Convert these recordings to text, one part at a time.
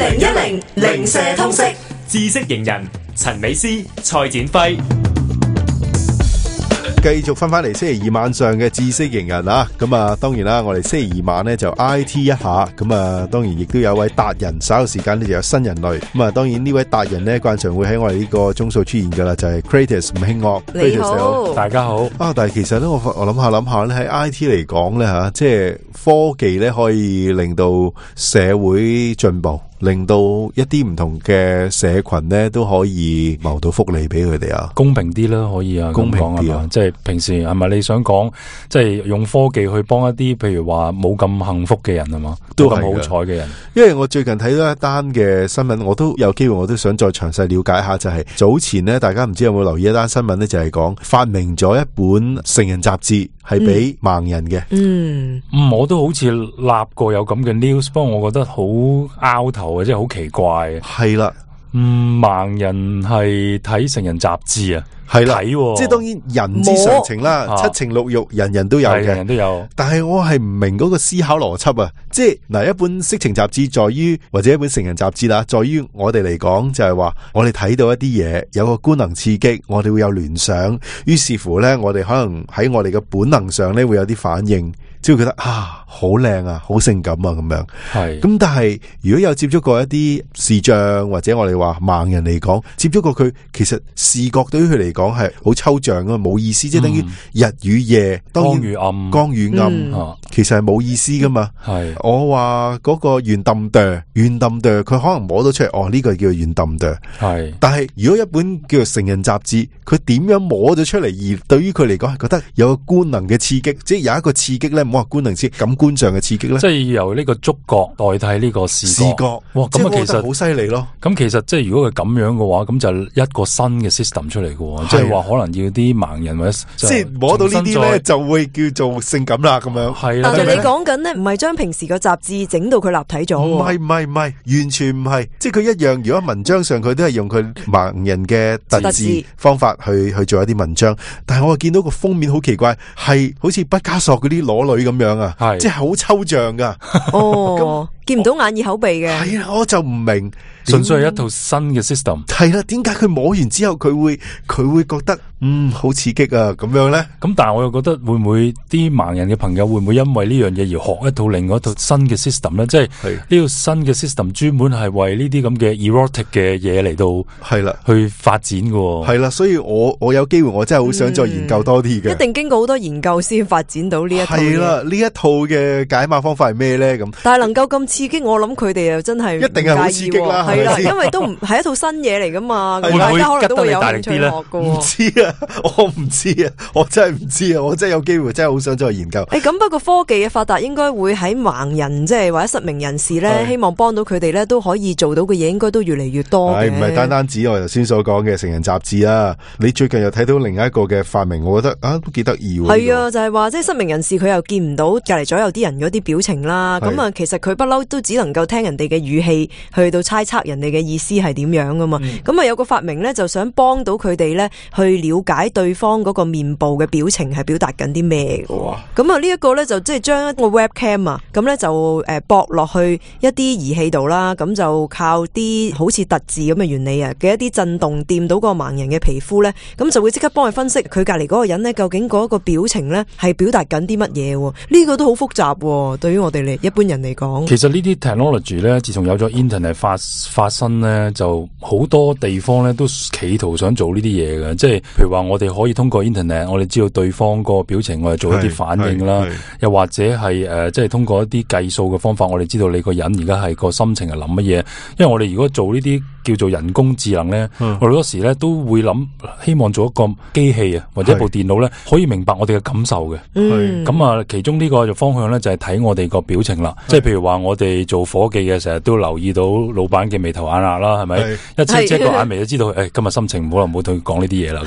2010零舍通識知識型人陳美詩、蔡展輝。繼續翻嚟星期二晚上嘅知識型人啊，咁啊當然啦，我哋星期二晚呢就 IT 一下，咁啊當然亦都有位達人，稍後時間呢就有新人類，咁啊當然呢位達人呢慣常會喺我哋呢個鐘數出現噶啦，就係 Kratos 吳興岳。你好，大家好。但係其實咧我諗下咧，喺 IT 嚟講咧吓，即係科技咧可以令到社會進步，令到一啲唔同嘅社群咧都可以謀到福利俾佢哋啊，公平啲啦，可以啊，公平啲啊，即係平時係咪你想講，即係用科技去幫一啲譬如話冇咁幸福嘅人係嘛，都咁好彩嘅人。因為我最近睇到一單嘅新聞，我都有機會，我都想再詳細了解一下，就係早前呢，大家唔知有冇留意一單新聞呢，就係講發明咗一本成人雜誌係俾盲人嘅。我都好似立過有咁嘅 news， 不過我覺得好拗頭啊，即係好奇怪。係啦，盲人係睇成人雜誌啊？係啦，即係當然人之常情啦，七情六欲人人都有嘅，人人都有。但係我係唔明嗰個思考邏輯啊！即係嗱，一本色情雜誌在於，或者一本成人雜誌啦，在於我哋嚟講就係話，我哋睇到一啲嘢，有個官能刺激，我哋會有聯想，於是乎咧，我哋可能喺我哋嘅本能上咧會有啲反應。只會覺得啊，好靚啊，好性感啊，咁樣。係咁，但係如果有接觸過一啲視障或者我哋話盲人嚟講，接觸過佢，其實視覺對於佢嚟講係好抽象啊，冇意思，即係等於日與夜，光與暗，光與暗，其實係冇意思噶嘛。係我話嗰個圓揼哚，佢可能摸到出嚟，哦呢個叫圓揼哚。係，但係如果一本叫做成人雜誌，佢點樣摸咗出嚟，而對於佢嚟講係覺得有個官能嘅刺激，即係有一個刺激咧。哇！官能刺感官上嘅刺激咧，即係由呢個觸覺代替呢個視覺。哇！咁啊，其實好犀利咯。咁其實即係如果佢咁樣嘅話，咁就一個新嘅 system 出嚟嘅，即係話可能要啲盲人或者即係摸到呢啲咧，就會叫做性感啦咁樣。係啦，但係你講緊咧，唔係將平時個雜誌整到佢立體咗。唔係，完全唔係。即係佢一樣，如果文章上佢都係用佢盲人嘅特字方法去做一啲文章，但係我見到個封面好奇怪，係好似畢加索嗰啲裸女咁樣啊，即係好抽象噶。哦，見唔到眼耳口鼻嘅。係啊，我就唔明，純粹係一套新嘅 system。係啦，點解佢摸完之後佢會覺得好刺激啊咁樣咧？咁但係我又覺得會唔會啲盲人嘅朋友會唔會因為呢樣嘢而學一套另外一套新嘅 system 咧？即係呢個新嘅 system 專門係為呢啲咁嘅 erotic 嘅嘢嚟到係啦去發展嘅。係啦，所以我有機會我真係好想再研究多啲嘅。一定經過好多研究先發展到呢一套。係啦，呢一套嘅解碼方法係咩咧？咁但係能夠咁刺激，我諗佢哋又真係一定係好刺激啦。係啦，因為都唔係一套新嘢嚟噶嘛，大家可能都會有興趣學噶。唔知啊，我唔知啊，我真係唔知啊，我真係有機會，真係好想再研究。咁不過科技嘅發達應該會喺盲人即係或者失明人士咧，希望幫到佢哋咧都可以做到嘅嘢，應該都越嚟越多嘅。唔係單單指我頭先所講嘅成人雜誌啦，你最近又睇到另一個嘅發明，我覺得都幾得意喎。係啊，就係話即係失明人士佢又見唔到隔籬左右啲人嗰啲表情啦，咁啊其實佢不嬲都只能夠聽人哋嘅語氣去到猜測人哋嘅意思係點樣噶嘛。咁啊有個發明咧就想幫到佢哋咧去了解對方嗰個面部嘅表情係表達緊啲咩嘅。咁啊呢一個咧就即係將一個 webcam 啊，咁咧就駁落去一啲儀器度啦，咁就靠啲好似特字咁嘅原理啊嘅一啲震動掂到個盲人嘅皮膚咧，咁就會即刻幫佢分析佢隔籬嗰個人咧究竟嗰個表情咧係表達緊啲乜嘢。呢個都好複雜，對於我哋一般人嚟講。其實呢啲 technology 咧，自從有咗 internet 發生咧，就好多地方咧都企圖想做呢啲嘢嘅，即係譬如話我哋可以通過 internet， 我哋知道對方個表情，我哋做一啲反應啦，又或者係即係通過一啲計數嘅方法，我哋知道你個人而家係個心情係諗乜嘢。因為我哋如果做呢啲叫做人工智能咧，我哋好多時咧都會諗，希望做一個機器啊，或者一部電腦咧可以明白我哋嘅感受嘅。咁啊，其中呢個方向咧就係睇我哋個表情啦。即係譬如話我哋做伙計嘅，成日都留意到老闆嘅眉頭眼額啦，係咪？一遮個眼眉就知道，今日心情唔好啦，唔好同佢講呢啲嘢啦。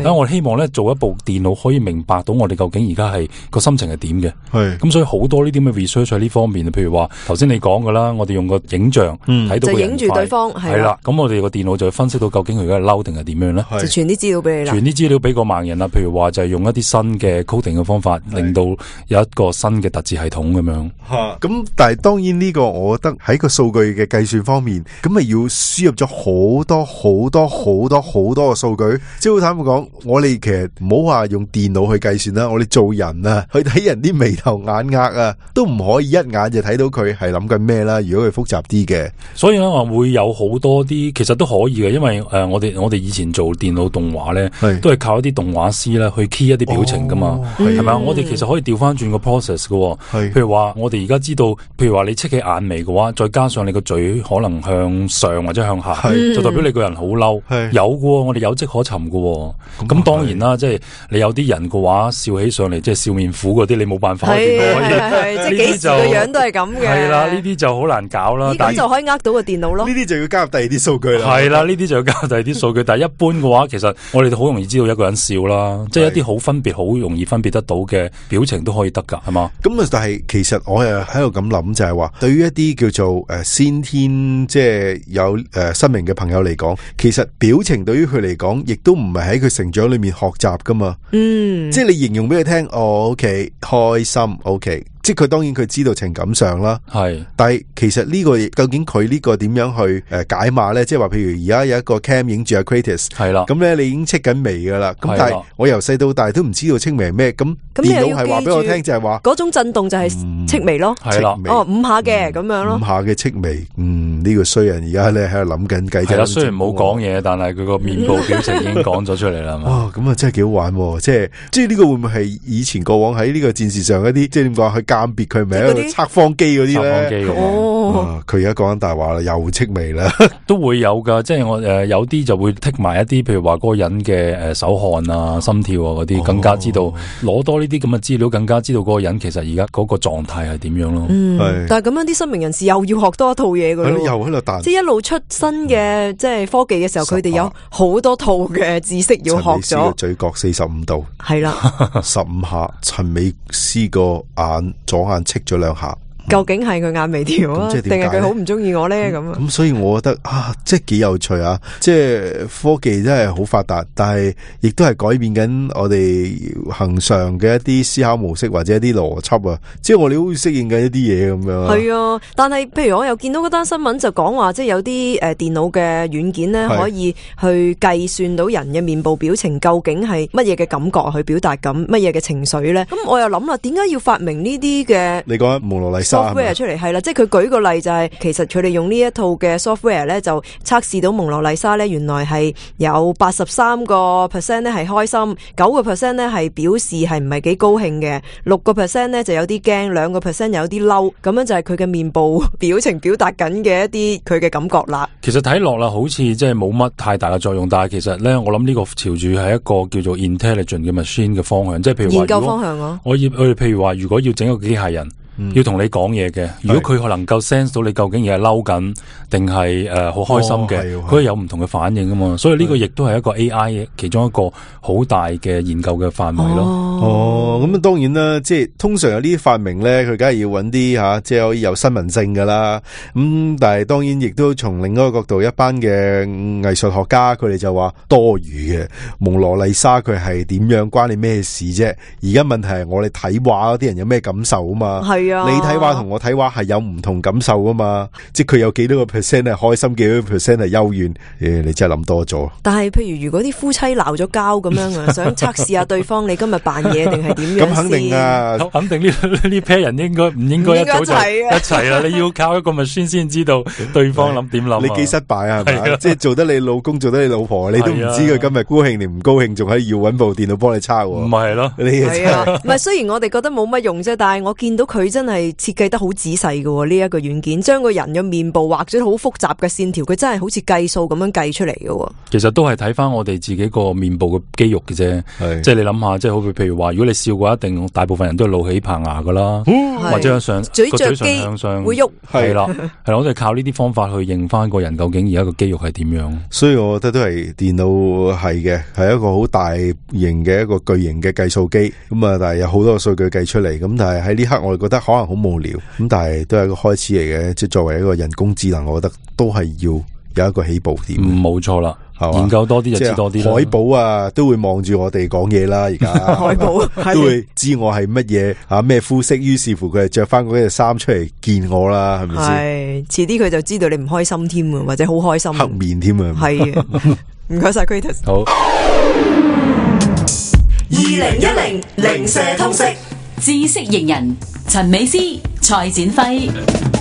咁我希望咧做一部電腦可以明白到我哋究竟而家係個心情係點嘅。咁所以好多呢啲咁嘅 research 喺呢方面，譬如話頭先你講噶啦，我哋用個影像睇到個人就影住對方係啦。啦，咁我哋個電腦就會分析到究竟佢而家係嬲定係點樣咧？就傳啲資料俾你啦，傳啲資料俾個盲人啦，譬如話就係用一啲新嘅 coding 嘅方法，令到有一個新嘅特字系統咁樣。咁但係當然呢個我覺得喺個數據嘅計算方面，咁咪要輸入咗好多嘅數據。即係好坦白講，我哋其實唔好話用電腦去計算啦，我哋做人啊，去睇人啲眉頭眼額啊，都唔可以一眼就睇到佢係諗緊咩啦。如果佢複雜啲嘅，所以咧我會有好多啲，其實都可以嘅，因為我哋以前做電腦動畫咧，都係靠一啲動畫師咧去 key 一啲表情噶嘛，係咪啊？我哋其實可以調翻轉個 process 嘅，譬如話我哋而家知道，譬如話你戚起眼眉嘅話，再加上你個嘴可能向上或者向下，就代表你個人好嬲。有嘅，我哋有跡可尋嘅。咁當然啦，即係你有啲人嘅話笑起上嚟，即係笑面虎嗰啲，你冇辦法。係即係幾時個樣都係咁嘅。係啦，呢啲就好難搞啦。咁就可以呃到個電腦咯。呢啲就要加入第二啲數據啦。係啦，呢啲就要加入第二啲數據。但係一般嘅話，其實我哋好容易知道一個人笑啦，即係一啲好分別、好容易分別得到嘅表情都可以得㗎，係嘛？咁啊，但係其實我又喺度咁諗，就係話對於一啲叫做先天即係有生命嘅朋友嚟講，其實表情對於佢嚟講，亦都唔係喺佢成長裏面學習噶嘛。即係你形容俾佢聽，OK， 開心 ，OK。即係佢當然佢知道情感上啦，但係其實呢個究竟佢呢個點樣去解碼咧？即係話譬如而家有一個 cam 影住阿 Kratos， 係啦，咁咧你已經戚緊眉噶啦，咁但係我由細到大都唔知道戚眉係咩，咁電腦係話俾我聽就係話嗰種震動就係戚眉咯，係啦，哦5下嘅咁樣咯， 5下嘅戚眉，呢個衰人而家咧喺度諗緊計，係啦，雖然冇講嘢，但係佢個面部表情已經講咗出嚟啦。哇，咁啊真係幾好玩，即係呢個會唔會係以前過往喺呢個戰事上一啲，即係點講去鑑別佢咪？測謊機嗰啲咧，佢而家講緊大話啦，又戚眉啦，都會有噶，即係我有啲就會剔埋一啲，譬如話嗰個人嘅手汗啊、心跳啊嗰啲，更加知道攞多呢啲咁嘅資料，更加知道嗰個人其實而家嗰個狀態係點樣咯。但係咁樣啲失明人士又要學多一套嘢噶咯，又喺度彈，即係一路出新嘅即係科技嘅時候，佢哋有好多套嘅知識要學咗。陳美詩嘅嘴角45度，係啦，15下。陳美詩個左眼戚咗2下，究竟係佢眼眉條啊，定係佢好唔中意我咧？咁所以我覺得即係幾有趣啊！即係科技真係好發達，但係亦都係改變緊我哋恆常嘅一啲思考模式或者一啲邏輯啊！即係我哋好似適應緊一啲嘢咁樣。係啊，但係譬如我又見到嗰單新聞就講話，即係有啲電腦嘅軟件咧，可以去計算到人嘅面部表情究竟係乜嘢嘅感覺，去表達緊乜嘢嘅情緒咧。咁我又諗啦，點解要發明呢啲嘅？你講蒙羅麗莎 software 出嚟係啦，即係佢舉個例就係，其實佢哋用呢一套嘅 software 咧，就測試到蒙羅麗莎咧，原來係有83% 咧係開心，9% 咧係表示係唔係幾高興嘅，6% 咧就有啲驚，2% 有啲嬲，咁樣就係佢嘅面部表情表達緊嘅一啲佢嘅感覺啦。其實睇落啦，好似即係冇乜太大嘅作用，但係其實咧，我諗呢個朝住係一個叫做 intelligent 嘅 machine 嘅方向，即係譬如話研究方向咯。我哋譬如話，如果要整一個機械人。要同你講嘢嘅，如果佢能夠 sense 到你究竟而係嬲緊定係好開心嘅，佢有唔同嘅反應噶嘛，所以呢個亦都係一個 AI 其中一個好大嘅研究嘅範圍咯。咁當然啦，即係通常有呢啲發明咧，佢梗係要揾啲即係可以有新聞性噶啦。但係當然亦都從另一個角度，一班嘅藝術學家佢哋就話多餘嘅。蒙羅麗莎佢係點樣關你咩事啫？而家問題係我哋睇畫嗰啲人有咩感受啊嘛。你睇畫同我睇畫係有唔同感受噶嘛？即係佢有幾多個 percent 係開心，幾多個 percent 係幽怨？你真係諗多咗。但係譬如如果啲夫妻鬧咗交咁樣啊，想測試下對方你今日扮嘢定係點樣？咁肯定啊，肯定呢 pair 人唔應該一早就一齊啦。你要靠一個 machine 先知道對方諗點諗。你幾失敗啊？係咪？即係做得你老公，做得你老婆，你都唔知佢今日高興定唔高興，仲喺要搵部電腦幫你抄。唔係咯？係啊，唔係雖然我哋覺得冇乜用啫，但係我見到佢真係設計得好仔細嘅呢一個軟件，將個人嘅面部畫咗好複雜嘅線條，佢真係好似計數咁樣計出嚟嘅。其實都係睇翻我哋自己個面部嘅肌肉嘅啫，即係你諗下，即係好譬如話，如果你笑嘅話，一定大部分人都係露起棚牙噶啦，或者向嘴唇向上會喐，係啦，我哋靠呢啲方法去認翻個人究竟而家個肌肉係點樣。所以我覺得都係電腦係嘅，係一個好大型嘅一個巨型嘅計數機咁啊，但係有好多數據計出嚟，咁但係喺呢刻我哋覺得可能好無聊，咁但係都係一個開始嚟嘅，即係作為一個人工智能，我覺得都係要有一個起步點。冇錯啦。研究多啲就知多啲啦。海寶啊，都會望住我哋講嘢啦，而家海寶都會知我係乜嘢啊咩膚色，於是乎佢就着翻嗰件衫出嚟見我啦，係咪先？係，遲啲佢就知道你唔開心添啊，或者好開心，黑面添啊。係啊，唔該晒 Kratos。好。2010零舍通識知識型人陳美詩、蔡展輝。